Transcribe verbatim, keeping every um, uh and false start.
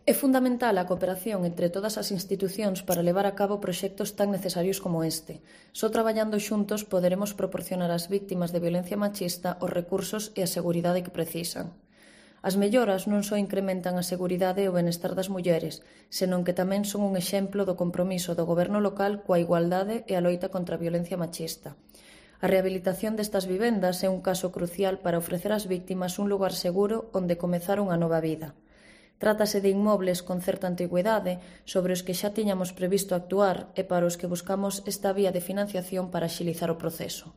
É fundamental a cooperación entre todas as institucións para levar a cabo proxectos tan necesarios como este. Só traballando xuntos poderemos proporcionar ás vítimas de violencia machista os recursos e a seguridade que precisan. As melloras non só incrementan a seguridade e o benestar das mulleres, senón que tamén son un exemplo do compromiso do goberno local coa igualdade e a loita contra a violencia machista. A rehabilitación destas vivendas é un caso crucial para ofrecer ás vítimas un lugar seguro onde comezar unha nova vida. Trátase de inmobles con certa antigüidade sobre os que xa tiñamos previsto actuar e para os que buscamos esta vía de financiación para axilizar o proceso.